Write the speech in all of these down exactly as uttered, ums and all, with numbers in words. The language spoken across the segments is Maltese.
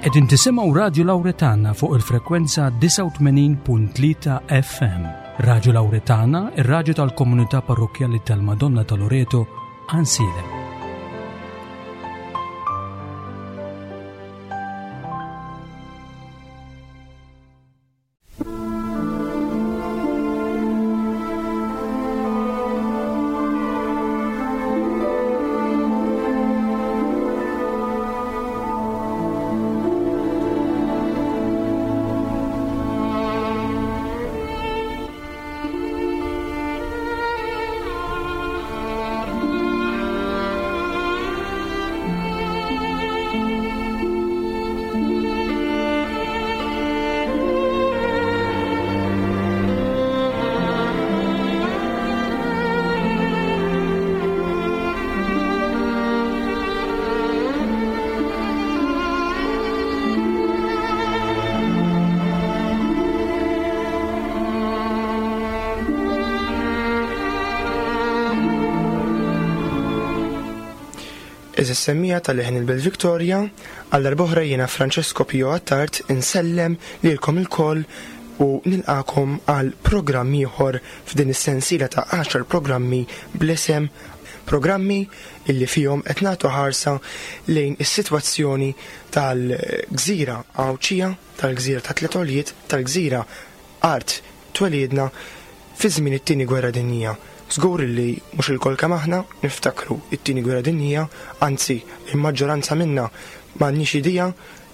Qegħdin tisimgħu Radju Lawretana fuq il-frekwenza disgħa u tmenin punt tlieta F M. Radju Lawretana, ir-radju tal-komunità parrokkjali tal-Madonna ta' Loreto, Għajnsielem. Eżis semmija tal-Leħen il-Belt Victoria, għal darb'oħra jiena Francesco Pio Attard insellem lilkom ilkoll u nilqakom għal programm ieħor f'din is-sensiela ta' għaxar programmi bl-isem programmi illi fihom qed nagħtu ħarsa lejn is-sitwazzjoni tal-gżira Għawdxija, tal-gżira ta' Tliet Għoljiet, tal-gżira art twelidna fi żmien it-tieni gwerra dinjija. Żgur li mhux ilkoll kemm aħna niftakru it-tieni gwerra dinjija, anzi il-maġġoranza minna m'għandniex idea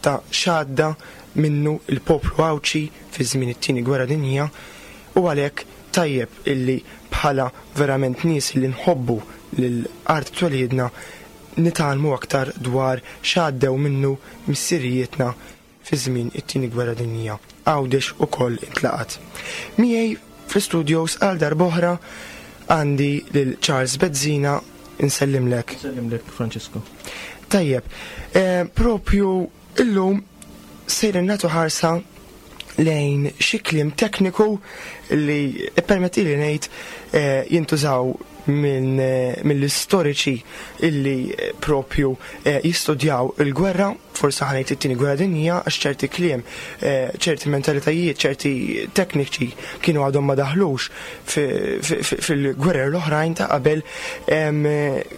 ta' x'għadda minnu il-poplu Għawdxi fi żmien it-tieni gwerra dinjija, u għalhekk tajjeb illi bħala verament nies li nħobbu lil art twelidna nitgħallmu aktar dwar x'għaddew minnu missirijietna fi żmien it-tieni gwerra dinjija. Għawdex ukoll intlaqat. Miegħi fl-istudios għal darb'oħra għandi lil Charles Bezzina, insellimlek. Insellimlek, Francesco. Tajjeb, eh, propju illum sejrin nagħtu ħarsa lejn xi kliem tekniku li permetti li ngħid, eh, jintużaw minn, eh, mill-istoriċi illi, eh, propju, eh, jistudjaw il-gwerra, forsi ħa ngħid it-tieni gwerra dinjija, għax ċerti kliem, eh, ċerti mentalitajiet, ċerti tekniċi kienu għadhom ma daħlux fi, fi, fi, fil-gwerer l-oħrajn ta' qabel, em,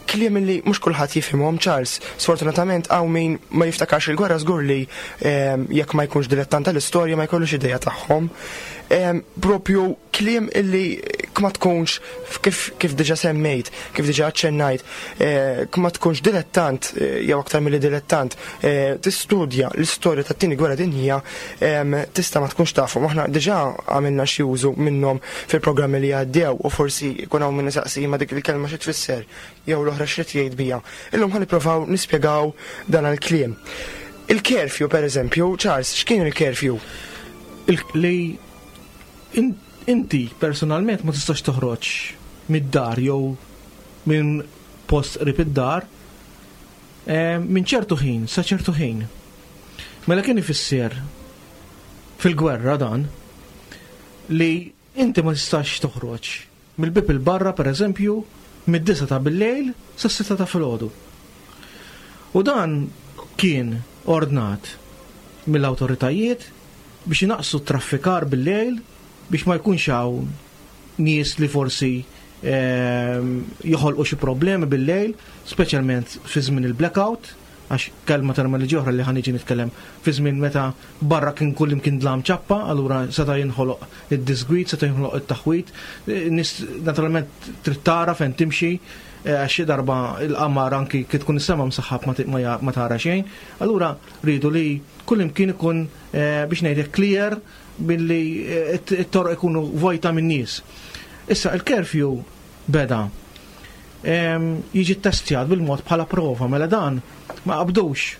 kliem li mhux kulħadd jifhimhom, Charles. Sfortunatament hawn min ma jiftakarx il-gwerra żgur li, em, jekk ma jkunx dilettant tal-istorja ma jkollux idea tagħhom. Em, propju kliem illi ma tkunx kif, kif diġa semmejt, kif diġa aċċennajt, eh, ma tkunx dilettant, eh, jew aktar milli dilettant, eh, tistudja l-istorja tat-tieni gwerra dinjija, em, tista' ma tkunx tafhom. Aħna diġà għamilna xi użu minnhom fil-programmi li għaddew u forsi jkun hawn min isaqsi ma dik il-kelma xi tfisser jew l-oħra xi tgħid bija. Illum ħa nippruvaw nispjegaw dan il-kliem. Il-curfew, per eżempju, Charles, x'kien il-curfew? Il-, li in-, inti personalment ma tistax toħroġ mid-dar jew minn post qrib id-dar, eh, minn ċertu ħin sa ċertu ħin. Mela kien ifisser fil-gwerra dan li inti ma tistax toħroġ mill-bib il-barra, per eżempju, mid-disa ta' bil-lejl sa sitta ta' filgħodu. U dan kien ordnat mill-awtoritajiet biex inaqqsu t-traffikar bil-lejl biex ma jkunx hawn nies li forsi, ehm, joħolqu xi problemi bil-lejl, speċjalment fi żmien il-blackout, għax kelma terminoloġija oħra li ħa niġi nitkellem fi żmien meta barra kien kull imkien dlam ċappa, allura seta' jinħoloq id-disgwid, seta' jinħoloq it-taħwid, nies naturalment trid tara fejn timxi, eh, għax xi darba il-qamar anki kif tkun is-sema msaħħab ma ti-, ma ja-, ma tara xejn, allura rridu li kull imkien ikun, eh, biex ngħidlek clear billi, eh, it-, it-toroq ikunu vojta minn nies. Issa il-curfew beda, em, jiġi ttestjat bil-mod bħala prova, mela dan ma qabdux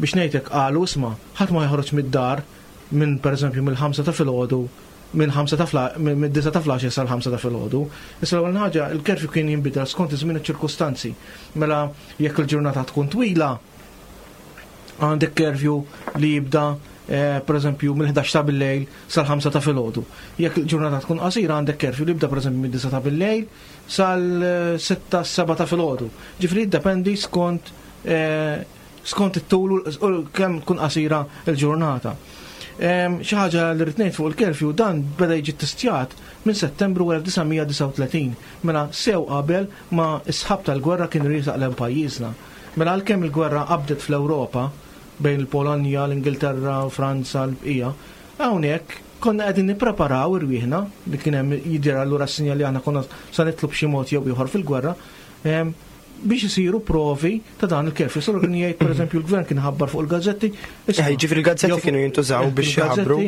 biex ngħidlek qalu isma' ħadd ma joħroġ mid-dar minn pereżempju mill-ħamsa ta' filgħodu, minn ħamsa ta' fla-, minn, minn disa ta' flaxi sal-ħamsa ta' filgħodu. Issa l-ewwel ħaġa il-curfew kien jinbidel skont iż-żmien u ċ-ċirkustanzi. Mela jekk il-ġurnata tkun twila, għandek curfew li jibda, eh, per eżempju mill-ħdax ta' bil-lejl sal-ħamsa ta' filgħodu. Jekk il-ġurnata tkun qasira għandek curfew li jibda per eżempju mid-disa ta' bil-lejl sal-sitta seba ta' filgħodu. Ġifieri jiddependi skont, eh, Skont it-tul u kemm tkun qasira l-ġurnata. Xi ħaġa li rrid ngħid fuq il-curfew, dan beda jiġi testjat minn Settembru elf disa' mija disgħa u tletin, mela sew qabel ma s-sħab tal-gwerra kien riesaq lejn pajjiżna. Mela għalkemm il-gwerra qabdet fl-Ewropa bejn il-Polonja, l-Ingilterra, Franza, l-bqija, hawnhekk konna qegħdin nippreparaw irwieħna li kien hemm jidher allura s-sinjal li aħna konna sa nidħlu b'xi mod jew ieħor fil-gwerra biex isiru provi ta' dan il-curfew. Solo kien jgħid, pereżempju, l-gvern kien ħabbar fuq il-gazzetti. Eh, jiġifieri il-gazzetti kienu jintużaw biex jħabbru.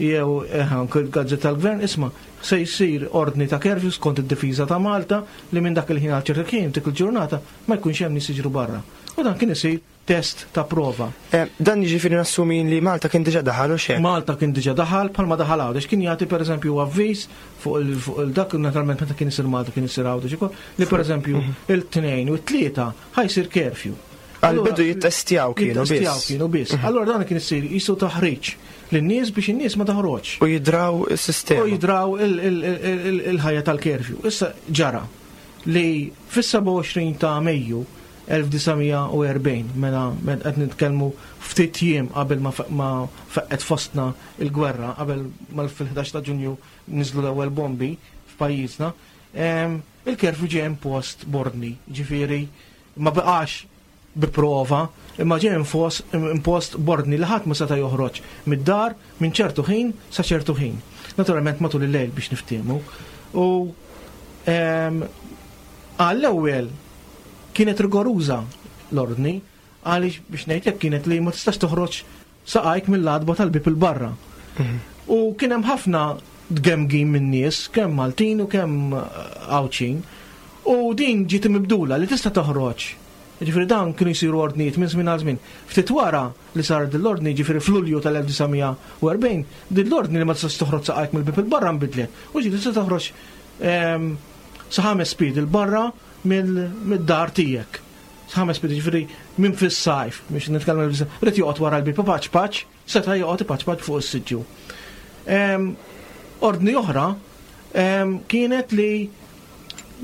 Jew eh, anke il-gazzetta tal-gvern, isma', se jsir ordni ta' curfew skont id-difiża ta' Malta li minn dak il-ħin għal ċerta kien dik il-ġurnata ma jkunx hemm nies jiġru barra. U dan kien isir test ta' prova. Eh, dan jiġifieri nassumi li Malta kien diġà daħal u xejn. Malta kien diġà daħal bħalma daħal Għawdex, kien jagħti pereżempju avviż fuq il-dak, naturalment meta kien isir Malta kien isir Għawdex ukoll, li pereżempju mhm. il-tnejn u t-tlieta ħa jsir curfew. Għal-bidu jittestjaw kienu biss. Jittestjaw kienu biss. Mhm. Allora dan kien isir jisu taħriġ lin-nies biex in-nies ma taħroġ. U jidraw is-sistema. U jidraw il-ħajja tal-curfew. Issa ġara li fis-sebgħa u għoxrin ta' Mejju elf disa' mija u erbgħin, mela qed nitkellmu ftit jiem qabel ma faqqgħet fostna il-gwerra, qabel ma fil-ħdax ta' Ġunju niżlu l-ewwel bombi f'pajjiżna, il-curfew ġie impost b'ordni, ġifieri ma baqax bi prova, imma ġie impost b'ordni li ħadd ma seta' joħroġ mid-dar minn ċertu ħin sa ċertu ħin. Naturalment matul il-lejl biex niftiehmu. U għall-ewwel kienet rigoruża l-ordni, għaliex biex ngħidlek kienet li ma tistax toħroġ saqajk mill-għatba tal-bib il-barra. Mhm. U kien hemm ħafna tgemgim minn nies, kemm Maltin u kemm Għawdxin. U din ġiet mibdula li tista' toħroġ. Ġifieri dan kienu jsiru ordnijiet minn żmien għal żmien. Ftit wara li sar din l-ordni, ġifieri f'Lulju tal-elf disa' mija u erbgħin, din l-ordni li ma tistax toħroġ saqajk mill-bib il-barra nbidlet. U ġiet tista' toħroġ ehm, sa ħames pied il-barra mid-dar tiegħek. Ħames piedi, ġifieri minn fis-sajf, biex nitkellem, irid joqgħod wara l-bib paċ paċ, seta' joqgħod paċ paċ fuq is-siġġu. Ordni oħra kienet li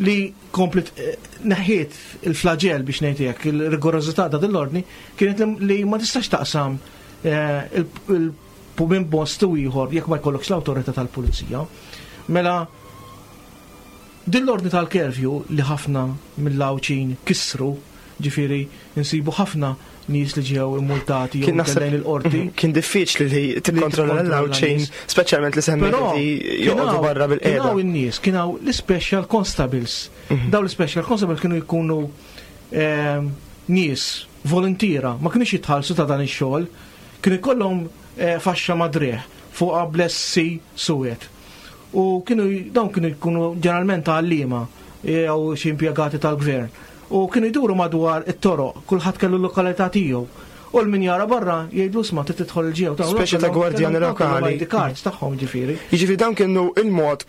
li komplet eh, neħħiet il-flagell biex ngħidlek, il-rigorożità ta' l-ordni kienet li ma tistax taqsam eh, minn post u ieħor jekk ma jkollokx l-awtorità tal-pulizija. Mela din l-ordni tal-curfew li ħafna mill-Għawdxin kisru, ġifieri nsibu ħafna nies li ġew immultati jew lejn il-qorti. Kien diffiċli li tikkontrolla l-Għawdxin, speċjalment li semmejt li joqogħdu barra bil-qiegħda. Kien hawn in-nies, kien hawn l-special constables. Mhm. Daw l-special constables kienu jkunu ehm, nies volontiera, ma kienux jitħallsu ta' dan ix-xogħol, kienu jkollhom eh, faxxa mad-driegħ fuq bl-S C suwed. U kienu dawn kienu jkunu ġeneralment għalliema jew xi impjegati tal-gvern. U kienu jduru madwar it-toroq, kulħadd kellu l-lokalità tiegħu. U l-min jara barra jgħidlu, "Isma', trid tidħol il-ġew." Speċi ta' gwardjani lokali. I D cards tagħhom ġifieri. Jiġifieri dawn kienu il-mod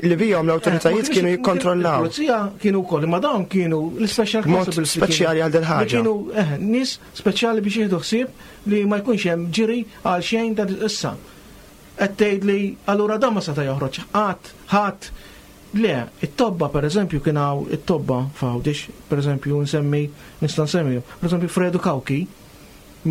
li bihom l-awtoritajiet kienu jikkontrollaw. Il-pulizija kienu wkoll, imma dawn kienu l-special Mod speċjali għal dil-ħaġa. Kienu eh, nies speċjali biex jieħdu ħsieb li ma jkunx hemm ġiri għal xejn ta' issa. Qed tgħid li allura dan ma seta' joħroġ ħadd, ħadd. Le, it-tobba per eżempju, kien hawn it-tobba f'Għawdex, per eżempju nsemmi, nista' nsemmi, per eżempju Fredu Kawki,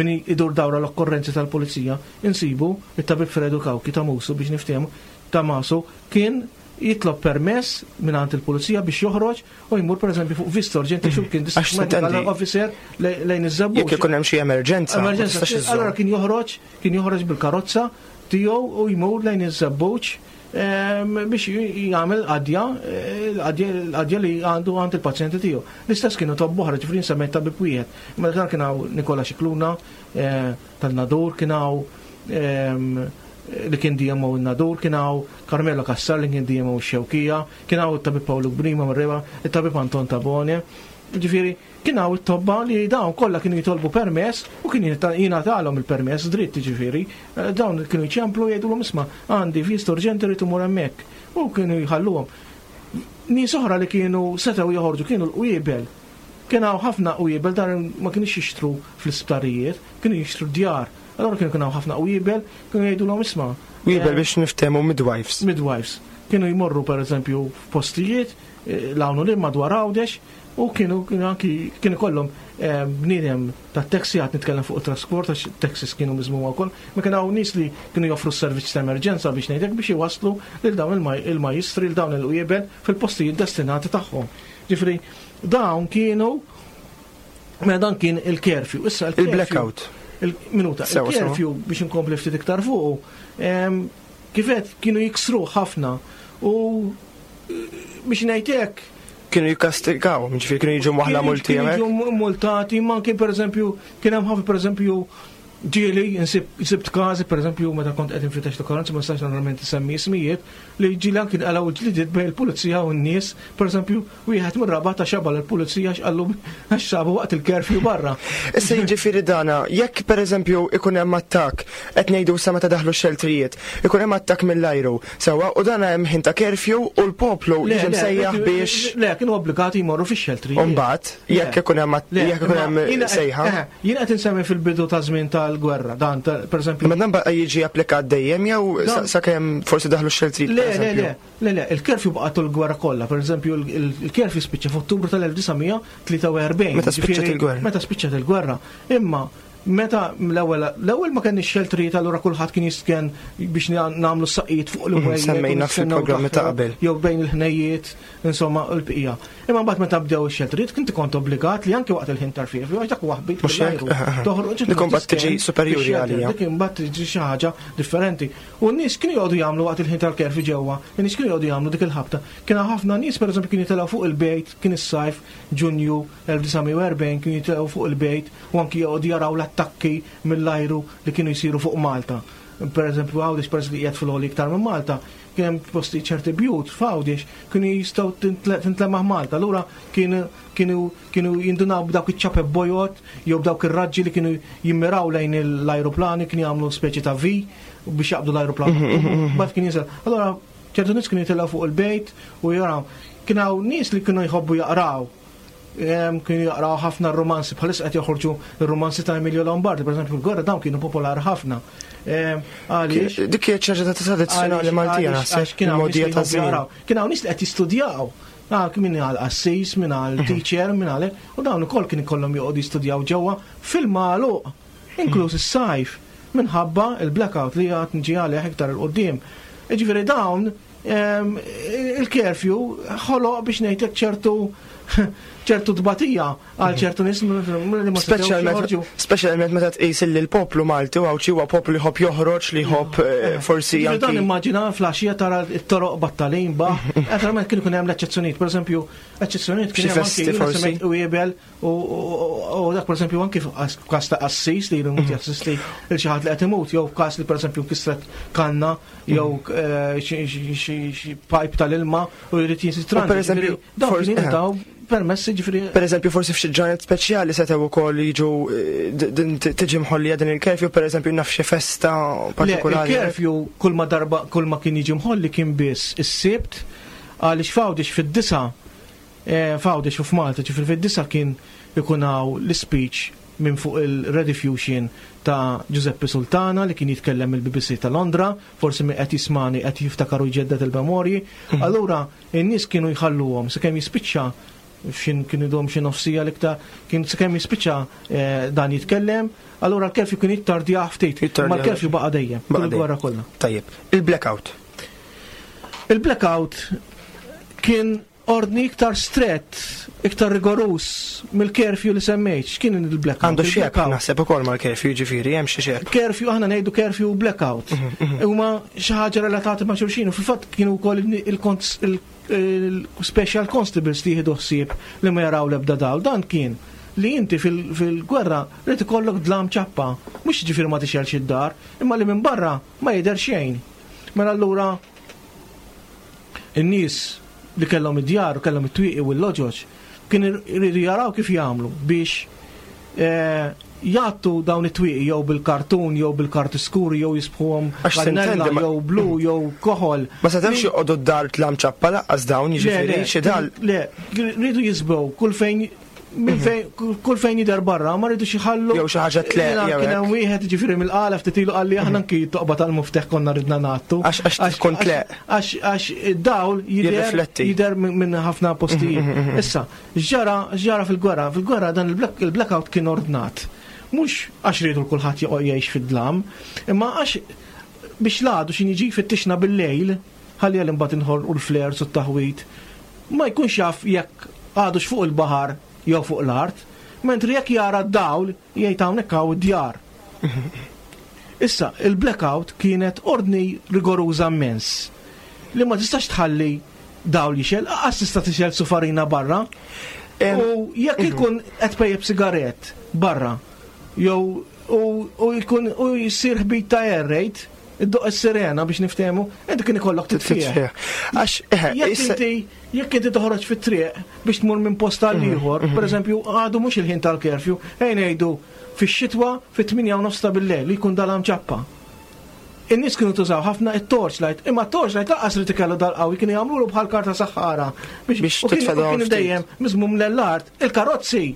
min idur dawra l-okkorrenzi tal-pulizija, insibu it-tabib Fredu Kawki ta' Musu biex niftehmu, ta' Masu, kien jitlob permess minn għand il-pulizija biex joħroġ u jmur per eżempju fuq vista urġenti xu kien Għax medical officer lejn iż-Żebbuġ. Jekk ikun hemm xi emerġenza. Emerġenza. Allora kien joħroġ, kien joħroġ bil-karozza tiegħu u jmur lejn iż-Żebbuġ biex jagħmel qadja, l-qadja li għandu għand il-pazjenti tiegħu. L-istess kienu tobba oħra, ġifieri nsemmejt tabib wieħed. Ma dan kien hawn Nikola Xikluna eh, tan-Nadur, kien hawn li kien D M O n-Nadur, kien hawn Carmelo Cassar li kien D M O x-Xewkija, kien hawn it-tabib Paolo Grima mir-Reba, it-tabib Anton Tabone. Ġifieri, kien hawn it-tobba li dawn kollha kienu jitolbu permess u kien jingħatalhom il-permess dritt, ġifieri. Eh, dawn kienu jċemplu, jgħidulhom, "Isma', għandi vista urġenti, rrid imur hemmhekk." U kienu jħalluhom. Nies oħra li kienu setgħu joħorġu kienu l-qwiebel. Kien hawn ħafna qwiebel, dan ma kienux jixtru fl-isptarijiet, kienu jixtru djar. Allora kienu kien hawn ħafna qwiebel, kienu jgħidulhom, "Isma'." Qwiebel eh, biex niftehmu midwives. Midwives. Kienu jmorru per eżempju f'postijiet eh, l-hawn li madwar Għawdex u kienu kienu anki kienu kollhom bniedem ta' taxi, għad nitkellem fuq trasport għax taxis kienu miżmuma wkoll, ma kien hawn nies li kienu joffru s-servizz ta' emerġenza biex ngħidlek biex iwasslu lil dawn il-majjistri, lil dawn il-qwiebel fil-postijiet destinati tagħhom. Ġifieri dawn kienu, mela dan kien il-curfew. Issa il-blackout. Il-minuta, il-curfew biex inkompli ftit iktar fuq, kifet kienu jiksru ħafna u biex ngħidlek kienu jikkastigaw, ġifieri kienu jiġu waħla multi. Kienu jiġu multati, ma kien pereżempju, kien hemm ħafna, pereżempju, ġieli nsibt każi, pereżempju, meta kont qed infittex l-okorrenza, ma nistax normalment insemmi ismijiet, li ġieli anki nqalgħu ġlidiet bejn il-pulizija u n-nies, pereżempju, wieħed mir-Rabat ta xabal il-pulizija x'qallu għax sabu waqt il-curfew barra. Issa jiġifieri dana, jekk pereżempju ikun hemm attakk, qed ngħidu sa meta daħlu x-xeltrijiet, ikun hemm attakk mill-ajru, sewwa, u dana hemm ħin ta' curfew u l-poplu jiġi msejjaħ biex. Le, kienu obbligati jmorru fix-xeltrijiet. U mbagħad, jekk ikun hemm jekk ikun hemm sejħa. Jien qed insemmi fil-bidu ta' żmien tal-gwerra, dan per eżempju. Ma dan baqa' jiġi applikat dejjem jew sakemm forsi daħlu x-xeltrijiet? Le, le, le, le, le, il-curfew baqa' tul il-gwerra kollha, per eżempju, il-curfew spiċċa f'Ottubru tal-elf disa' mija tlieta u erbgħin. Meta spiċċat il-gwerra. Meta spiċċat il-gwerra. Imma meta l-ewwel l-ewwel ma kenniex xeltrijiet, allura kulħadd kien jistken biex nagħmlu saqqijiet fuq l Semmejna fil-programmi ta' qabel. Jew bejn il-ħnejjiet, insomma, l-bqija. Imma mbagħad meta bdew ix-xeltrijiet kinti kont obbligat li anke waqt il-ħin tal-curfew, għax dak huwa ħbit. Toħroġ. Dik imbagħad tiġi superjuri għalija. Dik imbagħad tiġi xi ħaġa differenti. U n-nies kienu jgħodu jagħmlu waqt il-ħin tal-curfew ġewwa, in-nies kienu jgħodu jagħmlu dik il-ħabta. Kien ħafna nies, pereżempju, kienu jitilgħu fuq il-bejt, kien is-sajf, Ġunju elf disa' mija u erbgħin, kienu jitilgħu fuq il-bejt u anki jgħodu jaraw l-attakki mill-ajru li kienu jsiru fuq Malta. Per eżempju, Għawdex, per li qiegħed fil iktar minn Malta, kien hemm posti, ċerti bjut f'Għawdex kienu jistgħu tintlemaħ Malta. Allura kienu kienu jindunaw b'dawk iċ-ċapep bojod jew b'dawk ir-raġġi li kienu jimmiraw lejn l-ajruplani, kienu jagħmlu speċi ta' V biex jaqbdu l-ajruplan. Mbagħad kien jinżel. Allura ċertu nies kienu jitilgħu fuq il-bejt u jaraw. Kien hawn nies li kienu jħobbu jaqraw, kienu jaqraw ħafna romanzi, bħalissa qed joħorġu r-romanzi ta' Emilio Lombardi, per eżempju, l-gwerra dawn kienu popolari ħafna. Għaliex? Dik kienet xi ħaġa ta' tradizzjonali Maltija, naħseb. Kien hawn kien hawn nies li qed jistudjaw. Ah, min għal qassis, min għal mhm. teacher, min għal, u dawn ukoll kien ikollhom joqogħdu jistudjaw ġewwa fil-magħluq, inkluż is-sajf, minħabba il-blackout li għad nġi għalih iktar 'il quddiem. Ġifieri dawn il-curfew ħoloq biex ngħidlek ċertu ċertu tbatija għal ċertu nies li ma setgħux. Speċjalment meta tqis li l-poplu Malti u Għawdxi huwa poplu li jħobb joħroġ, li jħobb eh, forsi Ġifieri dan immaġina filgħaxija tara t-toroq battalin baħ, naturalment kien ikun hemm l-eċċezzjonijiet, pereżempju, eċċezzjonijiet kien Xi hemm festi anki forsi. semmejt u u u dak, pereżempju, anki f'każ ta' qassis li jrid jassisti lil xi ħadd li qed imut, jew f'każ li, pereżempju, kisret kanna jew eh, xi xi- xi pipe tal-ilma u jrid jinsitran. U pereżempju, dawn forsi- kienu jingħataw permessi, ġifieri. Per eżempju, forsi f'xi ġranet speċjali setgħu wkoll jiġu eh, d- din tiġi mħollija din il-curfew, per eżempju, naf xi festa partikolari. Il-curfew kull ma darba kull ma kien jiġi mħolli kien biss is-Sibt, għaliex f'Għawdex fid-disa, eh, f'Għawdex u f'Malta, ġifieri fid-disa kien ikun hawn l-speech minn fuq il-Rediffusion ta' Giuseppe Sultana li kien jitkellem il-B B C ta' Londra, forsi min qed jismani qed jiftakaru, jġedded il-memorji. Allura in-nies kienu jħalluhom sakemm jispiċċa, xin kienu dom xi nofsija l-iktar, kien sakemm jispiċċa eh, dan jitkellem, allura l-curfew kien jittardja ftit, Jittardja. ma l-curfew baqa' dejjem, Baqa' kull dejjem. gwerra kollha. Tajjeb, il-blackout. Il-blackout kien ordni iktar strett, iktar rigorus mill-curfew li semmejt. X'kien il-blackout? Għandu xebh Il-blackout. naħseb ukoll mal-curfew, ġifieri hemm xi xebh. Curfew, aħna ngħidu curfew u blackout. Huma xi ħaġa relatati ma' xulxin u fil-fatt kienu wkoll il-special constables li jieħdu ħsieb li ma jaraw l-ebda dawl. Dan kien li inti fil- fil-gwerra rrid ikollok dlam ċappa, mhux ġifieri ma tixgħelx id-dar, imma li minn barra ma jidher xejn. Mela allura in-nies li kellhom id-djar u kellhom it-twieqi u l-loġoġ kien iridu jaraw kif jagħmlu biex eh, jgħattu dawn it-twieqi jew bil-kartun jew bil-karti skuri jew jiżbgħuhom Għax kannella sintendi ma- jew blu jew koħol. Ma setgħux joqogħdu d-dar dlam ċappa laqqas dawn, jiġifieri xi dal. Le, rridu jiżbgħu kull fejn minn fejn kull fejn jidher barra ma rridux jħallu. Jew xi ħaġa tleq, jew Kien hemm hekk. wieħed, ġifieri, mill-qala ftit ilu qalli aħna anki toqba tal-mufteħ konna ridna ngħattu. Għax- għax tkun tleq. Għax għax id-dawl jidher Jirrifletti. Jidher minn minn ħafna postijiet. Issa, ġara ġara fil-gwerra, fil-gwerra dan il-black- il-blackout kien ordnat. Mhux għax rridu kulħadd joqgħod jgħix fid-dlam, imma għax biex l-għadu x'ħin jiġi fittixna bil-lejl, ħalli għal imbagħad inħorqu l-flares u t-taħwit, ma jkunx jaf jekk għadux fuq il-baħar jew fuq l-art, mentri jekk jara d-dawl jgħid hawnhekk hawn id-djar. Issa, il-blackout kienet ordni rigoruża immens li ma tistax tħalli dawl jixgħel, lanqas tista' tixgħel sufarina barra. Em, U jekk ikun qed pejjep sigaret barra, jew u u jkun u jsir ħbit ta' air raid, iddoqq is-sirena biex niftehmu, inti kien ikollok titfih. Titfih. Għax, eħe, Jekk issa- inti jekk inti toħroġ fit-triq biex tmur minn post għal ieħor, pereżempju għadu mhux il-ħin tal-curfew, ejn ngħidu fix-xitwa fit-tmienja u nofs ta' bil-lejl li jkun dalam ċappa. In-nies kienu tużaw ħafna it-torchlight, imma t-torchlight lanqas li tikellu dal-qawwi, kienu jagħmlu bħal karta saħħara Biex u kienu- titfa' u dawl kienu ftit. dejjem miżmum l-art, il-karozzi,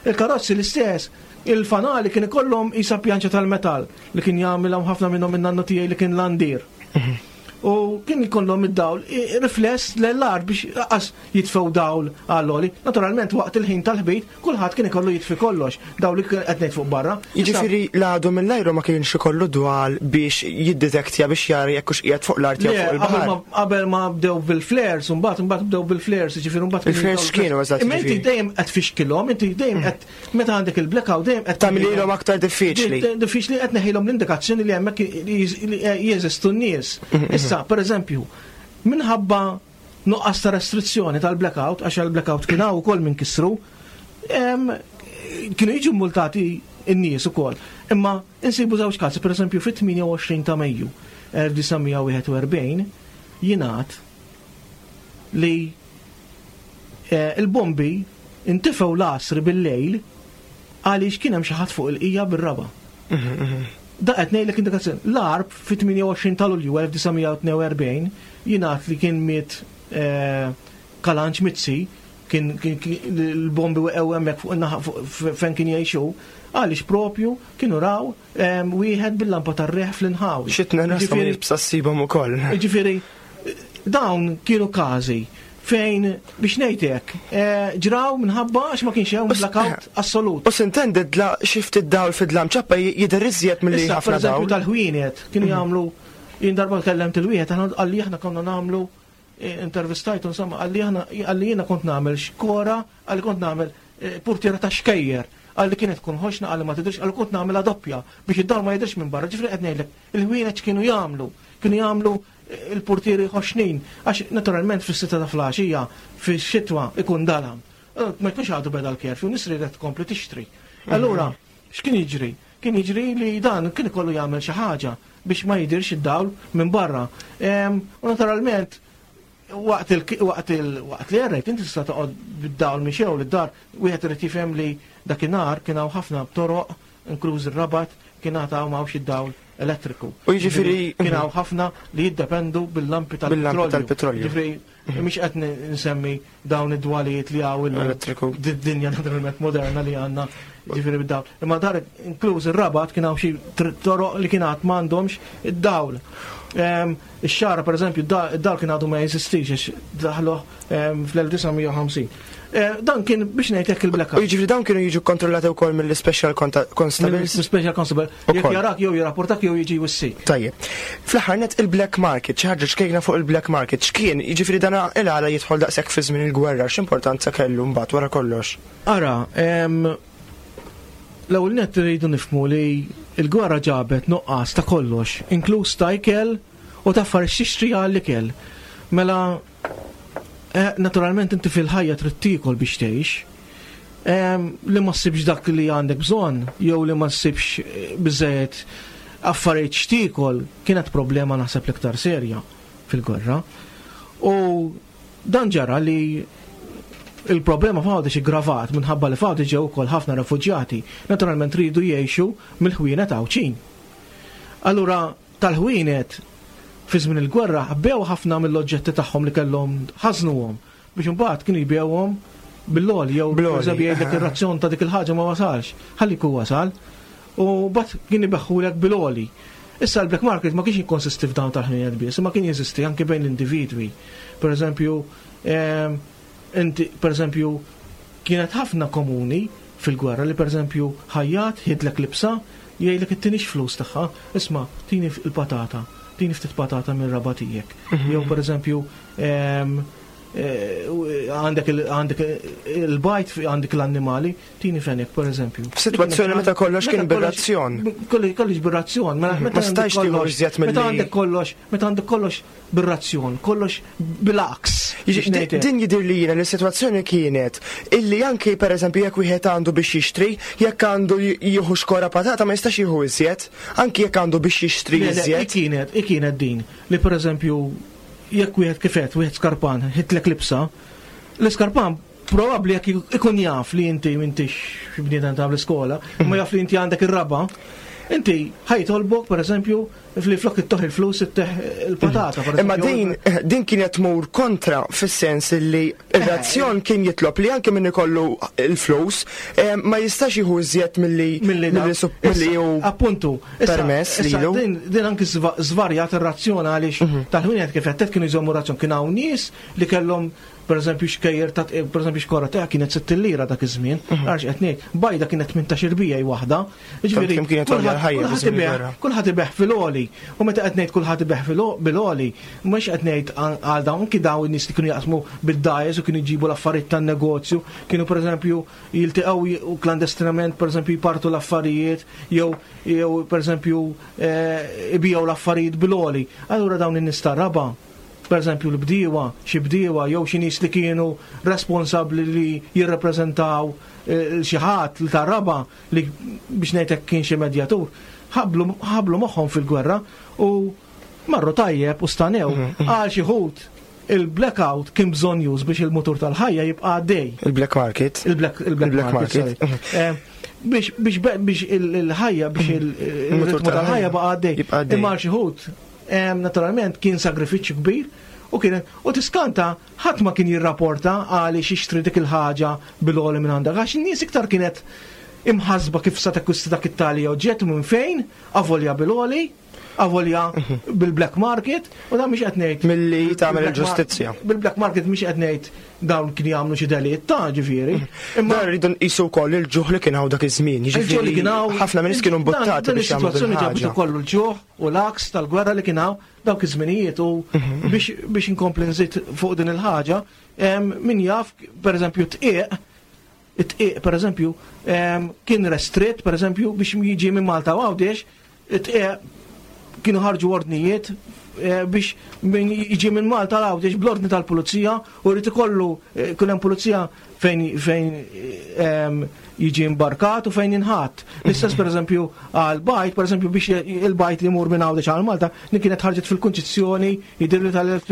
il-karozzi l-istess, il-fanali kien ikollhom isa pjanċa tal-metall li kien jagħmilhom ħafna minnhom in-nannu tiegħi li kien landier. U kien ikollhom id-dawl i- rifless l-art biex lanqas jitfew dawl għall-oli. Naturalment waqt il-ħin tal-ħbit kulħadd kien ikollu jitfi kollox, dawl li kien qed ngħid fuq barra. Jiġifieri l-għadu mill-ajru ma kienx ikollu dwal biex jiddetektja, biex jara jekk hux qiegħed fuq l-art jew Le, fuq qabel il-baħar. ma- Qabel ma bdew bil-flares, mbagħad mbagħad bdew bil-flares, ġifieri mbagħad Il-flares x'kienu eżatt, Imma inti ġifieri? dejjem qed tfixkilhom, inti dejjem qed meta għandek il-blackout dejjem qed Tagħmililhom aktar diffiċli. Di- Diffiċli, qed neħilhom l-indikazzjoni li hemmhekk li jeżistu n-nies. Issa, per eżempju, minħabba nuqqas ta' restrizzjoni tal-blackout, għax il-blackout kien hawn ukoll minn kisru, em, kienu jiġu multati n-nies ukoll. Imma insibu żewġ każi, per eżempju, fit-tmienja u għoxrin ta' Mejju elf disa' mija wieħed u erbgħin jingħad li eh, il-bombi intifew l-għasri bil-lejl għaliex kien hemm xi ħadd fuq il-qija bir-raba. Da qed ngħidlek indikazzjoni. L-Għarb fit-tmienja u għoxrin ta' Lulju elf disa' mija tnejn u erbgħin jingħad li kien miet eh, Kalanċ Mizzi, kien kien- kien- l-bombi weqgħu hemmhekk fuq in-naħa fuq fejn kien jgħixu għaliex propju kienu raw em, wieħed bil-lampa tar-reħ fl-inħawi. Xitna nasa ma Ġifieri- jibsa ssibhom ukoll. Ġifieri, dawn kienu każi fejn biex ngħidlek eh, ġraw minħabba għax ma kienx hemm blackout assolut. U s'intendi dla xi ftit dawl fid-dlam ċappa jidher iżjed milli Issa, per ħafna eżempju, dawl. tal-ħwienet kienu jagħmlu, jien darba kellemt il-wieħed, aħna qalli aħna konna nagħmlu eh, intervistajtu insomma, qalli aħna qalli jiena kont nagħmel xkora, qalli kont nagħmel eh, portiera ta' xkejjer, qalli kienet tkun ħoxna, qalli ma tidhirx, qalli kont nagħmilha doppja biex id-dar ma jidhirx minn barra. Ġifieri qed ngħidlek il-ħwienet x'kienu jagħmlu? Kienu jagħmlu eh, il-portieri ħoxnin, għax naturalment fis-sitta ta' filgħaxija fix-xitwa ikun dalam. Eh, Ma jkunx għadu beda l-curfew, nies ridet tkompli tixtri. Allura, x'kien jiġri? Kien jiġri li dan kien ikollu jagħmel xi ħaġa biex ma jidirx id-dawl minn barra. Em, U naturalment waqt il waqt il waqt li errejt inti tista' toqgħod bid-dawl mixew lid-dar, wieħed irid jifhem li dakinhar kien hawn ħafna toroq, inkluż ir-Rabat, kien għad hawn m'hawnx id-dawl elettriku. U jiġifieri- Kien hawn ħafna li jiddependu bil-lampi Bil-lampi tal-petrolju. Tal-petrolju. Ġifieri mhix qed nsemmi dawn id-dwalijiet li hawn illum Elettriku. Did-dinja naturalment moderna li għandna, ġifieri bid-dawl. Imma dar inkluż ir-Rabat kien hawn xi tr- toroq li kien għad m'għandhomx id-dawl. Em, Ix-Xagħra, per eżempju, id-dawl kien għadu ma jeżistix għax daħluh em, fl-elf disa' mija u ħamsin. Eh, Dan kien biex ngħidlek U il-blackout. jiġifieri dawn kienu jiġu kontrollati wkoll mill-special constables. Special constable. Jekk Ukoll. jarak jew jirrapportak jew jiġi jwissik. Tajjeb. Fl-aħħar net il-black market, xi ħaġa ċkejna fuq il-black market, x'kien, jiġifieri dana il-għala jidħol daqshekk fi żmien il-gwerra, x'importanza kellu mbagħad wara kollox? Ara, em, l-ewwel net rridu nifhmu li l-gwerra ġabet nuqqas ta' kollox, inkluż ta' ikel u ta' affarijiet xixtri għall-ikel. Mela, eh, naturalment inti fil-ħajja trid tiekol biex tgħix. Em, li ma ssibx dak li għandek bżonn, jew li ma ssibx eh, biżejjed affarijiet x'tiekol, kienet problema naħseb l-iktar serja fil-gwerra. U dan ġara li il-problema f'Għawdex iggravat minħabba li f'Għawdex ġew ukoll ħafna refuġjati. Naturalment ridu jgħixu mill-ħwienet Għawdxin. Allura tal-ħwienet fi żmien il-gwerra ħbew ħafna mill-oġġetti tagħhom li kellhom, ħażnuhom biex imbagħad kienu jbewhom bil-loli, jew per jgħidlek ir-razzjon ta' dik il-ħaġa ma wasalx, ħalli ku wasal, u bat kien ibeħħulek bil-oli. Issa l-black market ma kienx jikkonsisti f'dawn tal-ħwienet biss, ma kien jeżisti anke bejn l-individwi. Per eżempju, inti, per eżempju, kienet ħafna komuni fil-gwerra li per eżempju ħajjat ħidlek libsa, jgħidlek ittinix flus tagħha, isma' tini il-patata, tini ftit patata mir-raba tiegħek. Jew per eżempju, għandek il-bajt, għandek l-annimali, tini fenek, per eżempju. F'sitwazzjoni meta kollox kien bir-razzjon. Kollox bir-razzjon. Ma stajx tieħu iżjed milli. Meta għandek kollox, meta għandek kollox bir-razzjon, kollox bil-aks. Din jidher li jiena li s-sitwazzjoni kienet illi anki per eżempju jekk wieħed għandu biex jixtri, jekk għandu jieħu xkora patata ma jistax jieħu iżjed, anki jekk għandu biex jixtri iżjed. Kienet, kienet din li per eżempju jekk wieħed kifet, wieħed skarpan, ħitlek libsa, l-iskarpan probabbli jekk ikun jaf li inti m'intix bniedem ta' l-iskola, ma jaf li inti għandek ir-raba, inti ħajtolbok per eżempju li flok ittoħ il-flus itteħ il-patata. Imma din din kienet tmur kontra fis-sens li ir-razzjon kien jitlob li anke min ikollu il-flus ma jistax jieħu iżjed milli milli hu appuntu permess lilu. Din anke żvarjat ir-razzjon għaliex tal-ħwienet kif qed kienu jżommu razzjon, kien hawn nies li kellhom per eżempju xkejjer ta' per eżempju xkora ta' kienet sitt lira dak iż-żmien, għax qed ngħid, bajda kienet tmintax irbija waħda. Jiġifieri kulħadd kulħadd ibeħ fil-għoli. U meta qed ngħid kulħadd ibeħ bil-għoli, mhux qed ngħid għal dawn anki dawn in-nies li kienu jaqsmu bid-dajes u kienu jġibu l-affarijiet tan-negozju, kienu per eżempju jiltaqgħu u klandestinament per eżempju jpartu l-affarijiet jew jew per eżempju ibiegħu l-affarijiet bil-għoli. Allura dawn in-nies tar-raba', per eżempju l-bdiewa, xi bdiewa jew xi nies li kienu responsabbli li jirrappreżentaw xi ħadd li tar-raba' li biex ngħidlek kien xi medjatur, ħablu moħħhom fil-gwerra u marru tajjeb u stanew għal xi ħut il-blackout kien bżonn już biex il-mutur tal-ħajja jibqa' għaddej. Il-black market. Il-black market. Biex biex il-ħajja biex il-mutur tal-ħajja baqa' għaddej. Imma għal xi ħut naturalment kien sagrifiċċju kbir u kien u tiskanta ħadd ma kien jirrapporta għaliex jixtri dik il-ħaġa bil-għoli minn għandek, għax in-nies iktar kienet imħasba kif sa takkwista dak it-tali oġġett minn fejn, avolja bil-għoli, avolja bil-black market, u dan mhix qed ngħid milli tagħmel il-ġustizzja. Bil-black market mhix qed ngħid dawn kien jagħmlu xi delitt ta' ġifieri. Imma rridu nqisu wkoll il-ġuħ li kien hawn dak iż-żmien, jiġifieri ħafna nies kienu mbuttati biex jagħmlu. Is-sitwazzjoni ġabet ukoll il-ġuħ u l-aks tal-gwerra li kien hawn dawk iż-żminijiet u biex biex inkompli nżid fuq din il-ħaġa, min jaf pereżempju tqiq, it-tqiq pereżempju kien restritt pereżempju biex jiġi minn Malta u Għawdex, it-tqiq kienu ħarġu ordnijiet biex min jiġi minn Malta l-Għawdex bl-ordni tal-pulizija u rrid ikollu kull hemm pulizija fejn fejn jiġi imbarkat u fejn jinħatt. L-istess pereżempju għal bajt, pereżempju biex il-bajt li jmur minn Għawdex għal Malta, li kienet ħarġet fil-Kunċizzjoni jidhirli tal-elf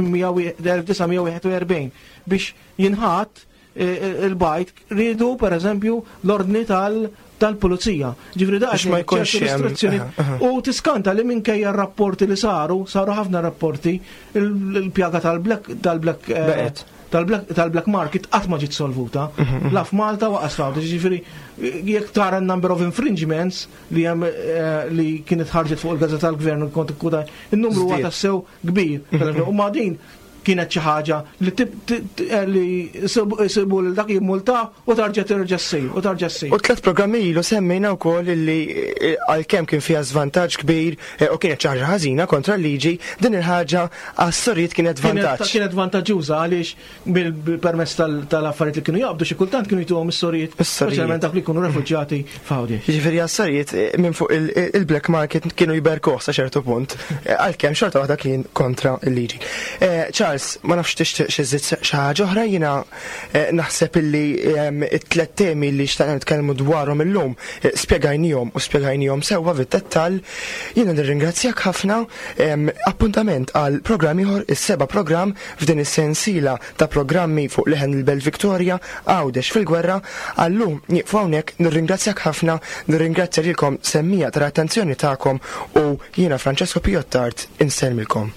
disa' mija wieħed u erbgħin biex jinħatt il-bajt rridu pereżempju l-ordni tal tal-pulizija. Ġifieri da ma jkunx restrizzjoni. U tiskanta li minkejja r-rapporti li saru, saru ħafna rapporti, il-pjaga tal-black tal-black tal-black market qatt ma ġiet solvuta. La f'Malta waqas f'Għawdex. Ġifieri jekk tara n-number of infringements li hemm li kienet ħarġet fuq il-Gazzetta tal-Gvern u kont ikkuda, in-numru huwa tassew kbir. U ma din kienet xi ħaġa li li isibu lil dak jimmulta u tarġa' terġa' ssir u tarġa' ssir. U tliet programmi ilu semmejna wkoll illi għalkemm kien fiha żvantaġġ kbir u kienet xi ħaġa ħażina kontra l-liġi, din il-ħaġa għas-sorijiet kienet vantaġġ. Kienet vantaġġuża għaliex bil-permess tal-affarijiet li kienu jaqbdu xi kultant kienu jtuhom is-sorijiet, speċjalment dak li jkunu refuġjati f'Għawdex. Jiġifieri għas-sorijiet minn fuq il-black market kienu jberkuh sa ċertu punt, għalkemm xorta waħda kien kontra l-liġi. Charles, ma nafx tixtieq xi żid xi ħaġa oħra, jiena naħseb illi it-tliet temi li xtaqna nitkellmu dwarhom illum spjegajnihom u spjegajnihom sewwa fid-dettall. Jiena nirringrazzjak ħafna. Appuntament għal programm ieħor, is-seba' programm f'din is-sensiela ta' programmi fuq Leħen il-Belt Victoria, Għawdex fil-Gwerra. Għallum nieqfu hawnhekk, nirringrazzjak ħafna, nirringrazzja lilkom semmija tal-attenzjoni tagħkom u jiena Francesco Piottart insellmilkom.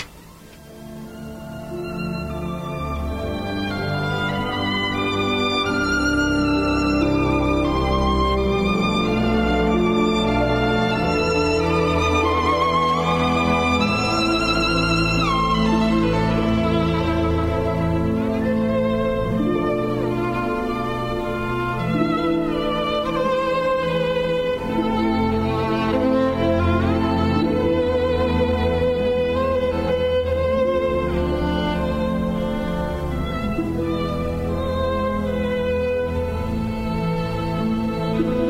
Thank you.